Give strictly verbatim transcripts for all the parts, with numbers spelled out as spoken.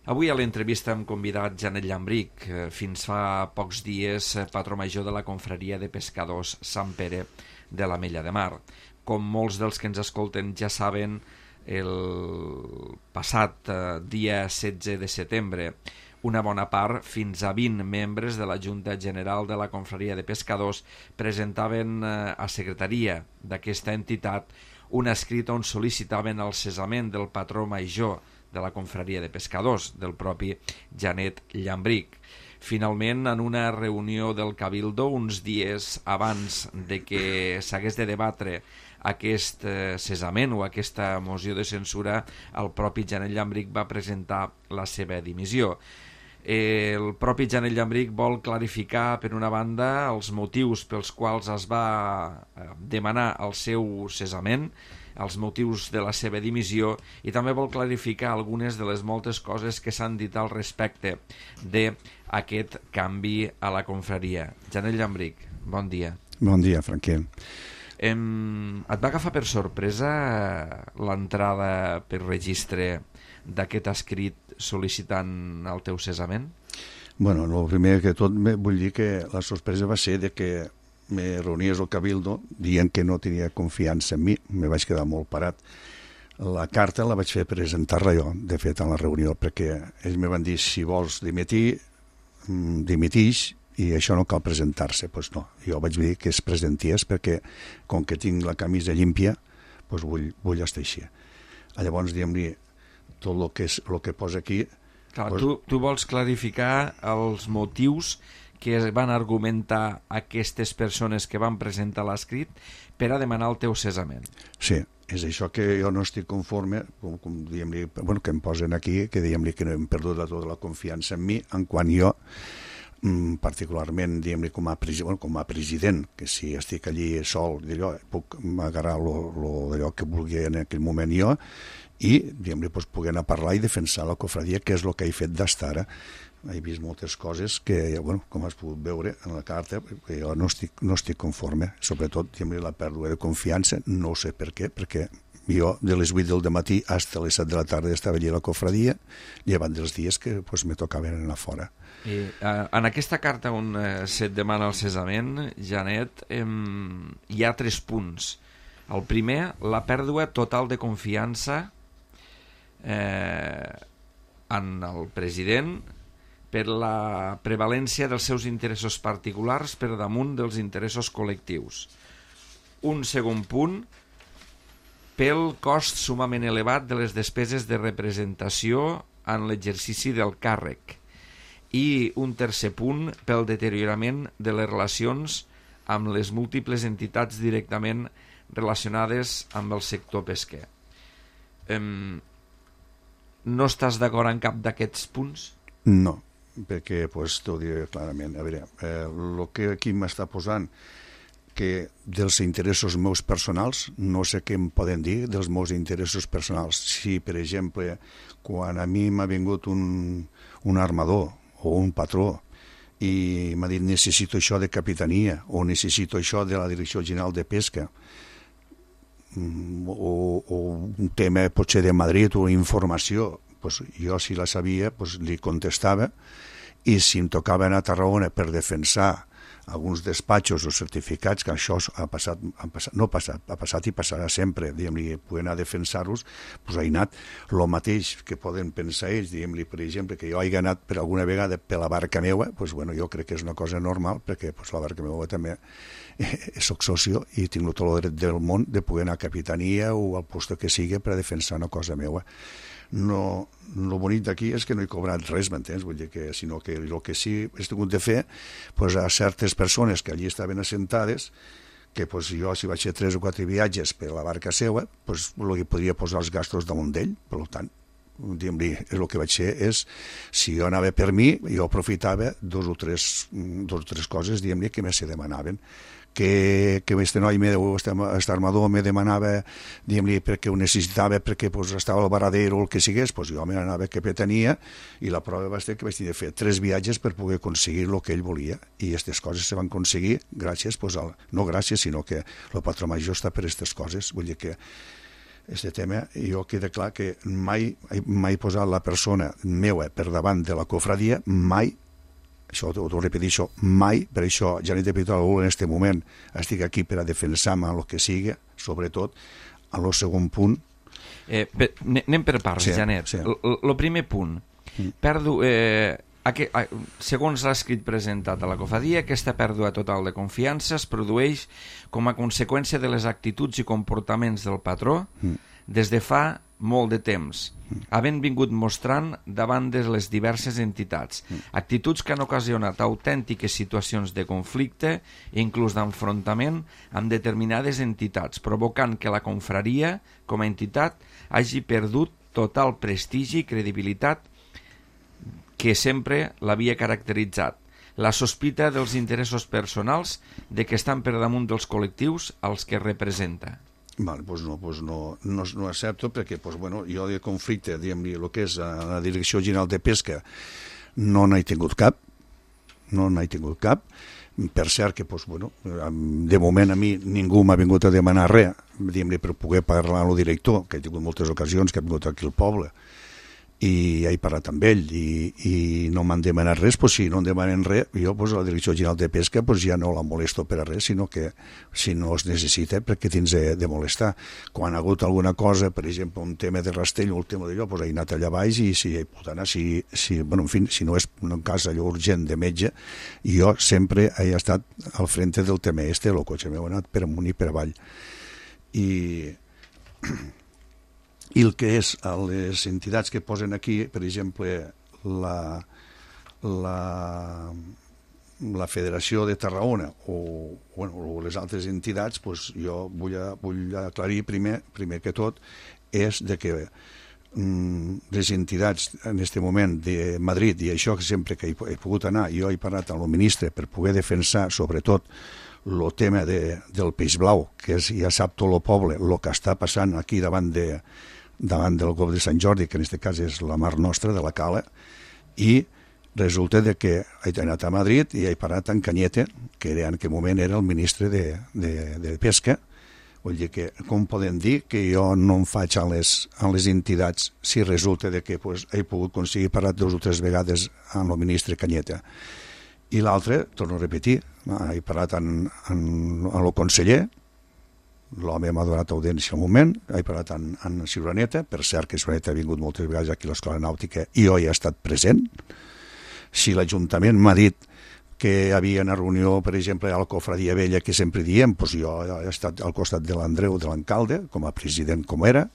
Avui a l'entrevista hem convidat Janet Llambrich, fins fa pocs dies patró major de la confraria de pescadors Sant Pere de l'Ametlla de Mar. Com molts dels que ens escolten ja saben, el passat dia setze de setembre una bona part, fins a vint membres de la Junta General de la Confraria de Pescadors presentaven a secretaria d'aquesta entitat un escrit on sol·licitaven el cessament del patró major de la Confraria de Pescadors, del propi Janet Llambrich. Finalment, en una reunió del Cabildo, uns dies abans de que s'hagués de debatre aquest cessament o aquesta moció de censura, el propi Janet Llambrich va presentar la seva dimissió. El propi Janet Llambrich vol clarificar, per una banda, els motius pels quals es va demanar el seu cessament, els motius de la seva dimissió, i també vol clarificar algunes de les moltes coses que s'han dit al respecte d'aquest canvi a la confraria. Janet Llambrich, bon dia. Bon dia, Franquer. Em... Et va agafar per sorpresa l'entrada per registre d'aquest escrit sol·licitant el teu cessament? Bueno, el primer que tot vull dir que la sorpresa va ser de que me reunies al Cabildo dient que no tenia confiança en mi, me vaig quedar molt parat. La carta la vaig fer presentar-la jo, de fet, en la reunió, perquè ells me van dir, si vols dimitir, dimitix, i això no cal presentar-se. Doncs pues no, jo vaig dir que es presentés perquè, com que tinc la camisa llímpia, pues vull, vull estar així. Llavors, diguem-li, tot el que, és, el que posa aquí... Clar, pues... tu, tu vols clarificar els motius que van argumentar aquestes persones que van presentar l'escrit per a demanar el teu cessament. Sí, és això que jo no estic conforme, com, com diguem-li, bueno, que em posen aquí, que diguem-li que no hem perdut tota la confiança en mi, en quan jo, particularment, diguem-li, com, bueno, com a president, que si estic allí sol, d'allò, puc agarrar allò que vulgui en aquell moment jo, i, diguem-li, doncs, poder anar a parlar i defensar la cofradia, que és el que he fet d'estar ara. He vist moltes coses que, bueno, com has pogut veure en la carta, que jo no estic, no estic conforme, sobretot, diguem-li, la pèrdua de confiança, no sé per què, perquè jo de les vuit del matí fins a les set de la tarda estava allà a la cofradia, llevant dels dies que pues, me tocaven anar fora. I, uh, en aquesta carta on uh, se't demana el cessament, Janet, um, hi ha tres punts. El primer, la pèrdua total de confiança eh, en el president per la prevalència dels seus interessos particulars per damunt dels interessos col·lectius. Un segon punt, pel cost sumament elevat de les despeses de representació en l'exercici del càrrec. I un tercer punt, pel deteriorament de les relacions amb les múltiples entitats directament relacionades amb el sector pesquer. Em... No estàs d'acord en cap d'aquests punts? No, perquè pues, t'ho diré clarament. A veure, eh, el que aquí m'està posant que dels interessos meus personals, no sé què em poden dir dels meus interessos personals. Si, per exemple, quan a mi m'ha vingut un, un armador o un patró i m'ha dit necessito això de capitania o necessito això de la Direcció General de Pesca, o, o un tema potser de Madrid o informació, pues jo si la sabia pues li contestava, i si em tocava anar a Tarragona per defensar alguns despatxos o certificats, que això ha passat, ha passat no ha passat, ha passat i passarà sempre, diguem-li, poder anar a defensar-los, doncs he anat el mateix que poden pensar ells, diguem-li, per exemple, que jo he anat per alguna vegada per la barca meua, doncs bueno, jo crec que és una cosa normal, perquè pues, la barca meua també eh, soc socio i tinc tot el dret del món de poder anar a capitania o al lloc que sigui per a defensar una cosa meua. No, el bonic d'aquí és que no he cobrat res, m'entens? Vull dir que, sinó que el que sí he tingut de fer pues, a certes persones que allí estaven assentades, que pues, jo si vaig fer tres o quatre viatges per la barca seva, pues, el que podria posar els gastos damunt d'ell, per tant, diguem-li, el que vaig fer és, si jo anava per mi, jo aprofitava dos o tres, dos o tres coses, diguem-li, que me se demanaven. Que, que este noi, aquest armador, me demanava, diguem-li, perquè ho necessitava, perquè pues, estava al Varadero o el que sigués, pues, jo me n'anava a capitania i la prova va ser que vaig tenir de fer tres viatges per poder aconseguir el que ell volia, i aquestes coses se van aconseguir gràcies, pues, al, no gràcies, sinó que el patró major està per aquestes coses. Vull dir que este tema, jo queda clar que mai mai he posat la persona meua per davant de la cofradia, mai, això ho ho repeteixo, mai, per això ja n'he de pedir algú en aquest moment, estic aquí per a defensar-me el que sigui, sobretot, a lo segon punt. Eh, per, anem per parts, sí, Janet. Sí. El primer punt, mm. perdo... Eh, Aqu segons l'escrit presentat a la cofradia, aquesta pèrdua total de confiança es produeix com a conseqüència de les actituds i comportaments del patró mm. des de fa molt de temps, mm. havent vingut mostrant davant de les diverses entitats, mm. actituds que han ocasionat autèntiques situacions de conflicte i inclús d'enfrontament amb determinades entitats, provocant que la confraria, com a entitat, hagi perdut total prestigi i credibilitat que sempre l'havia caracteritzat. La sospita dels interessos personals de que estan per damunt dels col·lectius als que representa. Vale, pues no, pues no, no, no accepto perquè pues, bueno, jo de conflicte, diguem-li, el que és la Direcció General de Pesca, no n'he tingut cap, no n'he tingut cap. Per cert que, pues, bueno, de moment a mi ningú m'ha vingut a demanar res, diguem-li, per poder parlar amb el director, que he tingut moltes ocasions, que ha vingut aquí al poble, i he parlat amb ell i, i no m'han demanat res, pues, si no em demanen res, jo pues, la Direcció General de Pesca pues, ja no la molesto per a res, sinó que si no es necessita, perquè tens de, de molestar. Quan ha hagut alguna cosa, per exemple, un tema de rastell o un tema d'allò, pues, he anat allà baix i si hi pot anar, si, si, bueno, en fi, si no és un cas allò urgent de metge, jo sempre he estat al frente del tema este, el cotxe meu ha anat per amunt i per avall. I... I el que és a les entitats que posen aquí, per exemple, la, la, la Federació de Tarragona o, bueno, o les altres entitats, pues jo vull, a, vull aclarir primer, primer que tot, és de que mm, les entitats en aquest moment de Madrid, i això que sempre que he, he pogut anar, jo he parlat amb el ministre per poder defensar, sobretot, el tema de, del peix blau, que és, ja sap tot el poble, el que està passant aquí davant de davant del Golf de Sant Jordi, que en aquest cas és la mar nostra, de la Cala, i resulta de que he anat a Madrid i he parlat amb Cañete, que era, en aquell moment era el ministre de, de, de Pesca. Vull dir que, com poden dir que jo no em faig a les, a les entitats si resulta de que pues, he pogut aconseguir parlar dues o tres vegades amb el ministre Cañete. I l'altre, torno a repetir, he parlat amb, amb, amb el conseller, l'home m'ha donat audiència al moment, he parlat amb, amb Ciuraneta, per cert que Ciuraneta ha vingut moltes vegades aquí a l'Escola Nàutica i jo hi he estat present. Si l'Ajuntament m'ha dit que hi havia una reunió, per exemple, a la Cofradia Vella, que sempre diem, doncs jo he estat al costat de l'Andreu, de l'alcalde, com a president com era.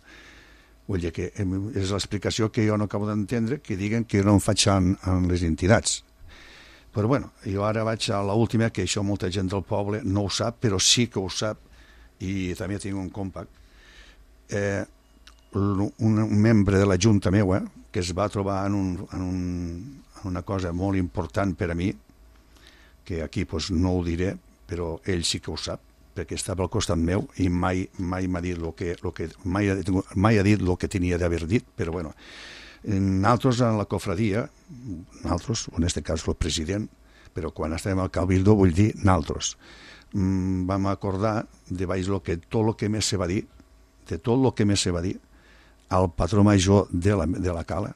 Vull dir que és l'explicació que jo no acabo d'entendre, que diguen que no em faig amb, amb les entitats. Però bueno, jo ara vaig a l'última, que això molta gent del poble no ho sap, però sí que ho sap, i també tinc un compact, eh, un, un membre de la Junta meua que es va trobar en, un, en, un, en una cosa molt important per a mi, que aquí pues, no ho diré, però ell sí que ho sap, perquè estava al costat meu i mai, mai m'ha dit el que, lo que mai, ha, mai ha dit el que tenia d'haver dit, però bueno, nosaltres en la cofradia, nosaltres, en aquest cas el president, però quan estàvem al Cabildo vull dir nosaltres, vam acordar de baix lo que, tot el que més se va dir, de tot el que més se va dir, al patró major de la, de la Cala.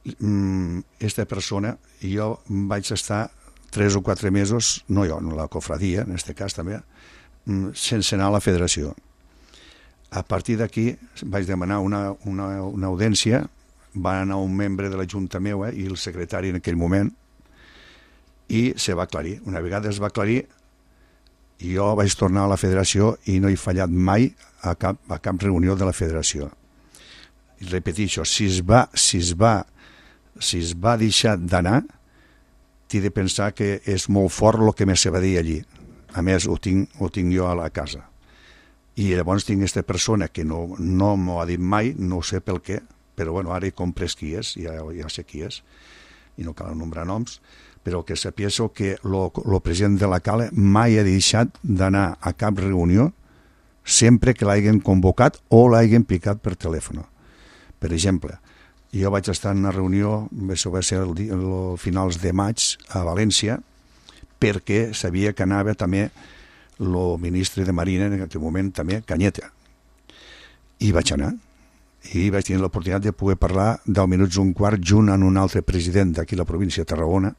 Aquesta persona, jo vaig estar tres o quatre mesos, no jo, no la cofradia, en aquest cas també, sense anar a la federació. A partir d'aquí vaig demanar una, una, una audiència, va anar un membre de la Junta meua i el secretari en aquell moment, i se va aclarir. Una vegada es va aclarir, jo vaig tornar a la federació i no he fallat mai a cap, a cap reunió de la federació. I repeteixo, si es va, si es va, si es va deixar d'anar, t'he de pensar que és molt fort el que més se va dir allí. A més, ho tinc, ho tinc jo a la casa. I llavors tinc aquesta persona que no, no m'ho ha dit mai, no sé pel què, però bueno, ara he comprès qui és, ja, ja sé qui és, i no cal nombrar noms, però que sapies que el president de la Cala mai ha deixat d'anar a cap reunió sempre que l'hagin convocat o l'hagin picat per telèfon. Per exemple, jo vaig estar en una reunió, això va ser el, el finals de maig a València, perquè sabia que anava també el ministre de Marina en aquell moment també, Cañete. I vaig anar. I vaig tenir l'oportunitat de poder parlar deu minuts un quart junt amb un altre president d'aquí la província de Tarragona,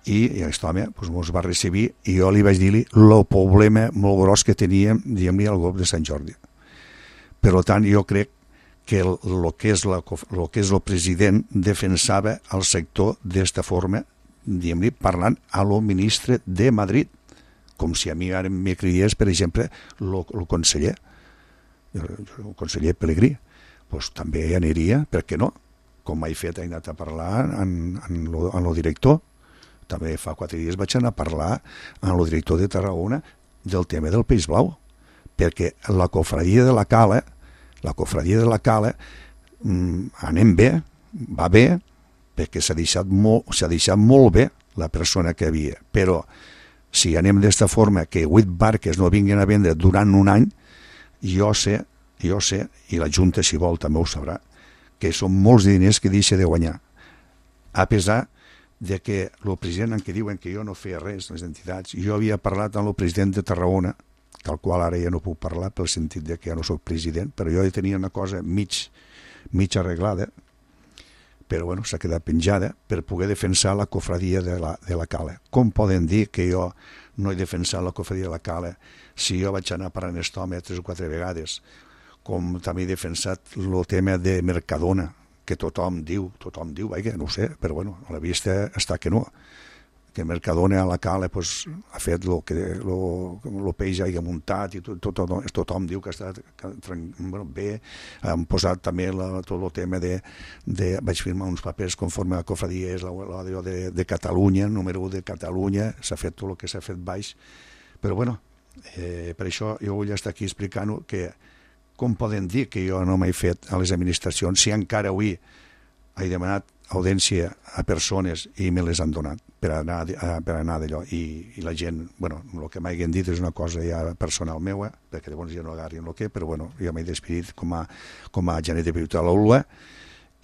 i, i aquest home doncs, ens va recibir i jo li vaig dir-li el problema molt gros que teníem, diguem-li, al grup de Sant Jordi. Per tant, jo crec que el, el que és la, el que és el president defensava el sector d'esta forma, diguem-li, parlant a lo ministre de Madrid, com si a mi ara me cridés, per exemple, el conseller, el conseller Pelegrí. Doncs també aniria, per què no? Com he fet, he anat a parlar amb el director. També fa quatre dies vaig anar a parlar amb el director de Tarragona del tema del peix blau, perquè la cofradia de la Cala, la cofradia de la Cala, mmm, anem bé, va bé, perquè s'ha deixat, molt, s'ha deixat molt bé la persona que havia, però si anem d'esta forma que vuit barques no vinguin a vendre durant un any, jo sé, jo sé, i la Junta si vol també ho sabrà, que són molts diners que deixa de guanyar, a pesar de que el president en què diuen que jo no feia res, les entitats, jo havia parlat amb el president de Tarragona, que al qual ara ja no puc parlar pel sentit de que ja no soc president, però jo ja tenia una cosa mig, mig arreglada, però bueno, s'ha quedat penjada per poder defensar la cofradia de la, de la Cala. Com poden dir que jo no he defensat la cofradia de la Cala si jo vaig anar parlant aquest home tres o quatre vegades, com també he defensat el tema de Mercadona, que tothom diu, tothom diu, vaja, no ho sé, però bueno, a la vista està que no, que Mercadona a la Cala pues, ha fet el que el peix hagi muntat i tot, tot, tot, tothom diu que està que, bueno, bé, han posat també la, tot el tema de, de, vaig firmar uns papers conforme a la cofradia és la, la de, de Catalunya, número u de Catalunya, s'ha fet tot el que s'ha fet baix, però bueno, eh, per això jo vull estar aquí explicant-ho que com poden dir que jo no m'he fet a les administracions si encara avui he demanat audiència a persones i me les han donat per anar, per anar d'allò i, i la gent, bueno, el que m'hagin dit és una cosa ja personal meua, perquè llavors ja no agarrin el que, però bueno, jo m'he despedit com a, com a genet de Piuta a l'Aula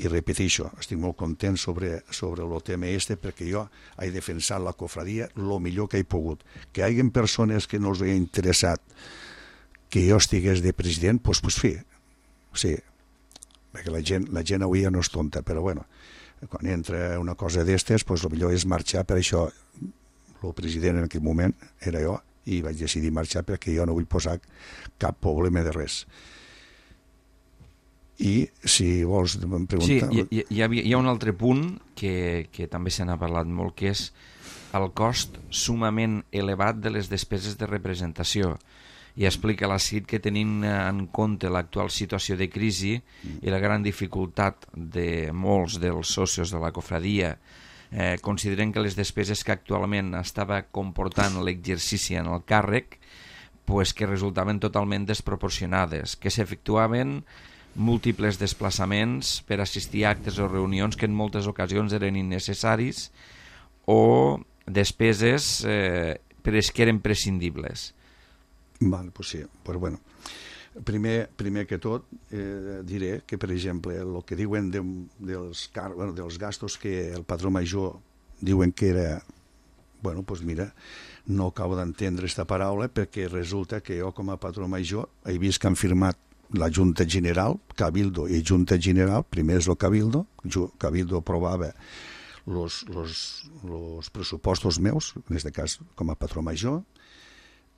i repeteixo, estic molt content sobre, sobre el tema este perquè jo he defensat la cofradia el millor que he pogut. Que hi hagi persones que no els he interessat que jo estigués de president, doncs, pues, sí, sí, perquè la gent, la gent avui ja no és tonta, però bueno, quan entra una cosa d'estes, doncs el millor és marxar, per això el president en aquell moment era jo, i vaig decidir marxar perquè jo no vull posar cap problema de res. I si vols em preguntar... Sí, hi, hi, ha, hi ha un altre punt que, que també se n'ha parlat molt, que és el cost sumament elevat de les despeses de representació. I explica la C I T que tenint en compte l'actual situació de crisi i la gran dificultat de molts dels socios de la cofradia, eh, consideren que les despeses que actualment estava comportant l'exercici en el càrrec pues, que resultaven totalment desproporcionades, que s'efectuaven múltiples desplaçaments per assistir a actes o reunions que en moltes ocasions eren innecessaris o despeses eh, però que eren prescindibles. Val, pues sí, pues bueno. Primer, primer que tot eh, diré que, per exemple, el que diuen de, dels, car bueno, dels gastos que el patró major diuen que era, bueno, pues mira, no acabo d'entendre aquesta paraula perquè resulta que jo com a patró major he vist que han firmat la Junta General, Cabildo i Junta General, primer és el Cabildo, Cabildo aprovava los, los, los pressupostos meus, en aquest cas com a patró major,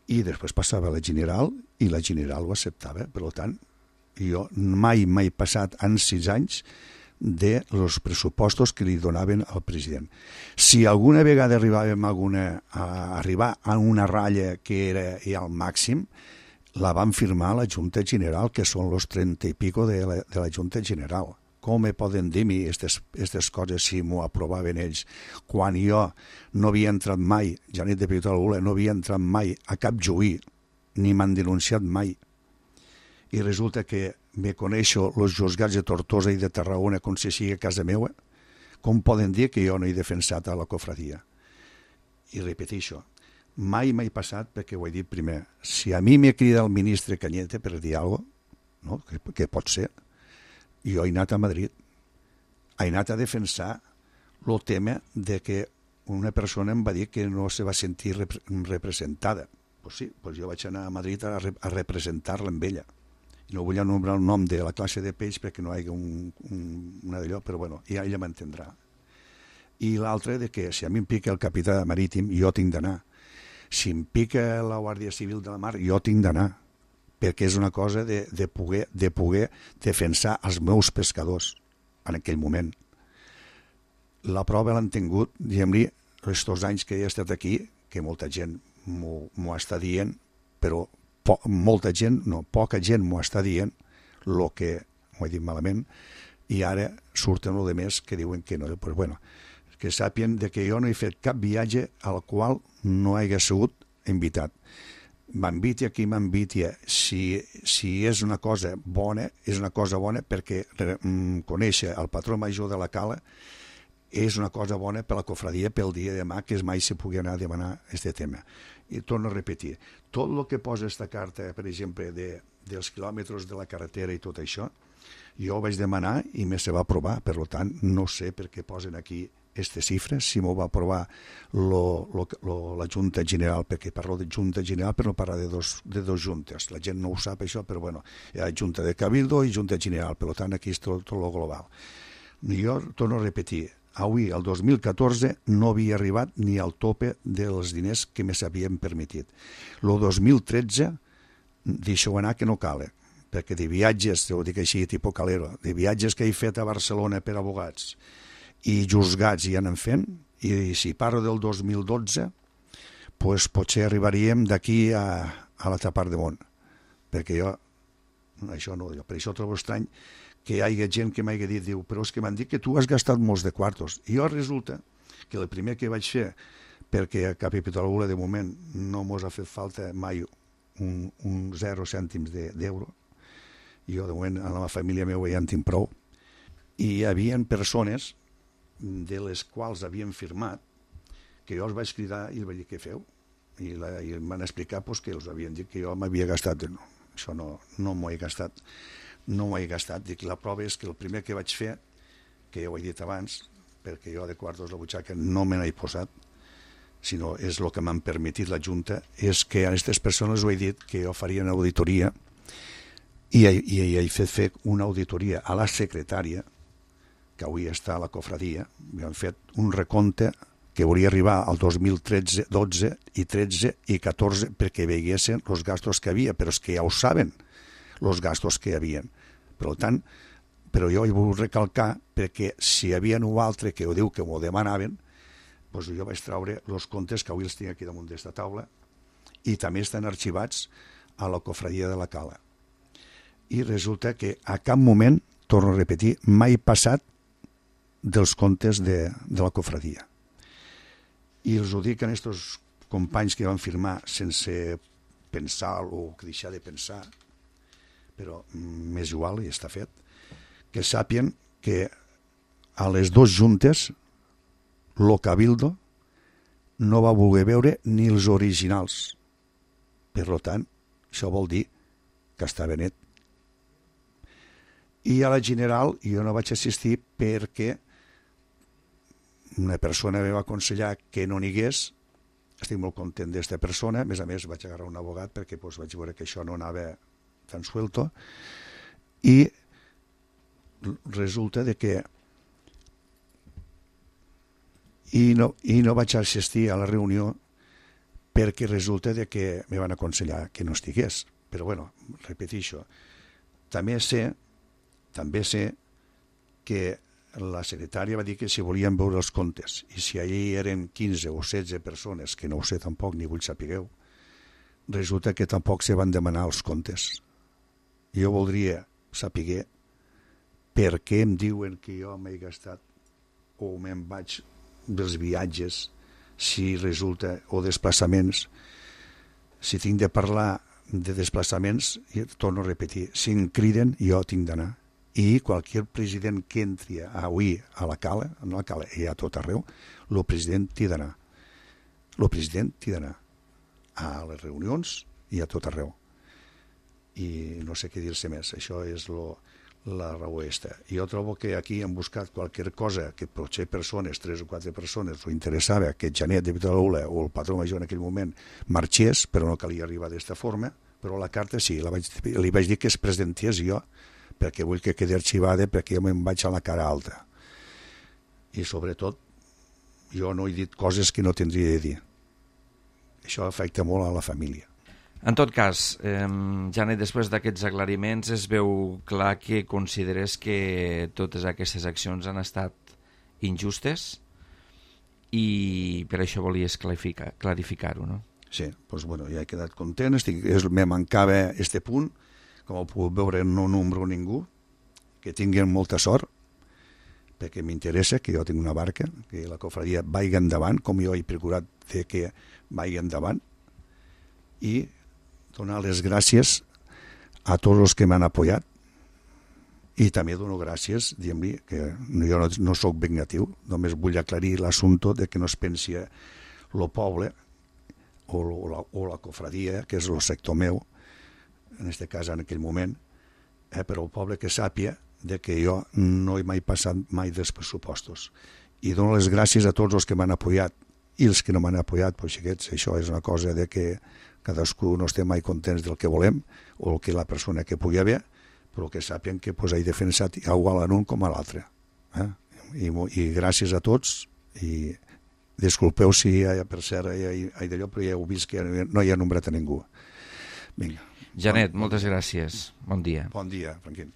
i després passava a la General i la General ho acceptava. Per tant, jo mai m'he passat en sis anys de los pressupostos que li donaven al president. Si alguna vegada arribàvem a, alguna, a arribar a una ratlla que era ja al màxim, la van firmar a la Junta General, que són los trenta i pico de la, de la Junta General. Com me poden dir mi aquestes coses si m'ho aprovaven ells? Quan jo no havia entrat mai, Janet de Piuta l'Ula, no havia entrat mai a cap juí, ni m'han denunciat mai. I resulta que me coneixo els juzgats de Tortosa i de Tarragona com si sigui a casa meva. Com poden dir que jo no he defensat a la cofradia? I repeteixo, mai m'he passat perquè ho he dit primer. Si a mi me crida el ministre Cañete per dir alguna cosa, no? que, que pot ser, jo he anat a Madrid, he anat a defensar el tema de que una persona em va dir que no se va sentir rep representada. Pues sí, pues jo vaig anar a Madrid a, re a representar-la amb ella. No vull anomenar el nom de la classe de peix perquè no hi hagi un, un, una d'allò, però bueno, ja ella m'entendrà. I l'altre de que si a mi em pica el capità marítim, jo tinc d'anar. Si em pica la Guàrdia Civil de la Mar, jo tinc d'anar, perquè és una cosa de, de, poder, de poder defensar els meus pescadors en aquell moment. La prova l'han tingut, diguem-li, els dos anys que he estat aquí, que molta gent m'ho està dient, però po molta gent, no, poca gent m'ho està dient, el que m'ho he dit malament, i ara surten el de més que diuen que no. Pues bueno, que sàpien de que jo no he fet cap viatge al qual no hagi sigut invitat. M'inviti aquí, m'inviti. Si, si és una cosa bona, és una cosa bona perquè mm, conèixer el patró major de la cala és una cosa bona per la cofradia pel dia de demà, que mai se pugui anar a demanar aquest tema. I torno a repetir, tot el que posa aquesta carta, per exemple, de, dels quilòmetres de la carretera i tot això, jo ho vaig demanar i me se va aprovar, per tant, no sé per què posen aquí aquestes xifres, si m'ho va aprovar lo, lo, lo, la Junta General, perquè parlo de Junta General però no parla de dos, de dos juntes, la gent no ho sap això, però bueno, hi ha Junta de Cabildo i Junta General, per tant aquí és tot, tot lo global. Jo torno a repetir, avui, el dos mil catorze, no havia arribat ni al tope dels diners que me s'havien permetit. El dos mil tretze, deixeu anar que no cale, perquè de viatges, ho dic així, tipus Calero, de viatges que he fet a Barcelona per abogats i juzgats hi anem fent, i si parlo del dos mil dotze, pues potser arribaríem d'aquí a, a l'altra part del món, perquè jo, això no, per això trobo estrany que hi hagi gent que m'hagi dit, diu, però és que m'han dit que tu has gastat molts de quartos. I jo resulta que el primer que vaig fer, perquè a Capitolagula de moment no mos ha fet falta mai un, un zero cèntims d'euro, de, jo de moment a la família meva ja en tinc prou, i hi havia persones de les quals havien firmat que jo els vaig cridar i els vaig dir què feu, i, la, i em van explicar pues, que els havien dit que jo m'havia gastat. No, això no, no m'ho he gastat. No m'ho he gastat. Dic, la prova és que el primer que vaig fer, que ja ho he dit abans, perquè jo de quartos a la butxaca no me n'he posat, sinó és el que m'han permetit la Junta, és que a aquestes persones ho he dit que jo faria una auditoria i, i, i he fet fer una auditoria a la secretària, que avui està a la cofradia, i han fet un recompte que hauria arribar al dos mil tretze, dotze i tretze i catorze perquè veiessin els gastos que havia, però és que ja ho saben, els gastos que hi havia. Per tant, però jo hi vull recalcar perquè si hi havia un altre que ho diu que m'ho demanaven, doncs jo vaig treure els comptes que avui els tinc aquí damunt d'esta taula i també estan arxivats a la cofradia de la Cala. I resulta que a cap moment, torno a repetir, mai passat dels comptes de, de la cofradia. I els ho dic a aquests companys que van firmar sense pensar o deixar de pensar, però m'és igual i està fet, que sàpien que a les dues juntes lo Cabildo no va voler veure ni els originals. Per tant, això vol dir que estava net. I a la general jo no vaig assistir perquè una persona me va aconsellar que no n'hi hagués. Estic molt content d'esta persona, a més a més vaig agarrar un abogat perquè doncs, vaig veure que això no anava tan suelto, i resulta de que i no, i no vaig assistir a la reunió perquè resulta de que me van aconsellar que no estigués. Però bueno, repeteixo, també sé també sé que la secretària va dir que si volien veure els comptes, i si allí eren quinze o setze persones, que no ho sé tampoc ni vull sapigueu, resulta que tampoc se van demanar els comptes. Jo voldria saber per què em diuen que jo m'he gastat o me'n vaig dels viatges, si resulta, o desplaçaments. Si tinc de parlar de desplaçaments, torno a repetir, si em criden jo tinc d'anar. I qualsevol president que entri avui a la Cala, no a la Cala, i a tot arreu, el president t'hi d'anar. El president t'hi d'anar a les reunions i a tot arreu. I no sé què dir-se més, això és lo, la raó esta. I jo trobo que aquí hem buscat qualsevol cosa que potser persones, tres o quatre persones, ho interessava que Janet de Vitalagula o el patró major en aquell moment marxés, però no calia arribar d'esta forma, però la carta sí, la vaig, li vaig dir que es presentés jo, perquè vull que quedi arxivada, perquè jo me'n vaig a la cara alta. I sobretot, jo no he dit coses que no tindria de dir. Això afecta molt a la família. En tot cas, eh, Janet, després d'aquests aclariments es veu clar que consideres que totes aquestes accions han estat injustes i per això volies clarificar, clarificar-ho, no? Sí, doncs bueno, ja he quedat content, estic, és, me mancava este punt, com ho puc veure no nombro ningú, que tinguin molta sort, perquè m'interessa que jo tinc una barca, que la cofradia vagi endavant, com jo he procurat de que vagi endavant, i donar les gràcies a tots els que m'han apoyat, i també dono gràcies, diguem-li, que jo no, no soc vengatiu, només vull aclarir l'assumpte de que no es pensi lo poble, o la, o la cofradia, que és el sector meu, en aquest cas en aquell moment, eh, però el poble que sàpia de que jo no he mai passat mai dels pressupostos. I dono les gràcies a tots els que m'han apoyat i els que no m'han apoyat, doncs xiquets, això és una cosa de que cadascú no estem mai contents del que volem o el que la persona que pugui haver, però que sàpien que pues, he defensat igual a un com a l'altre. Eh? I, I gràcies a tots i disculpeu si, per cert, hi ha d'allò, però ja heu vist que no hi ha nombrat a ningú. Vinga. Janet, bon, moltes gràcies. Bon dia. Bon dia, Franquín.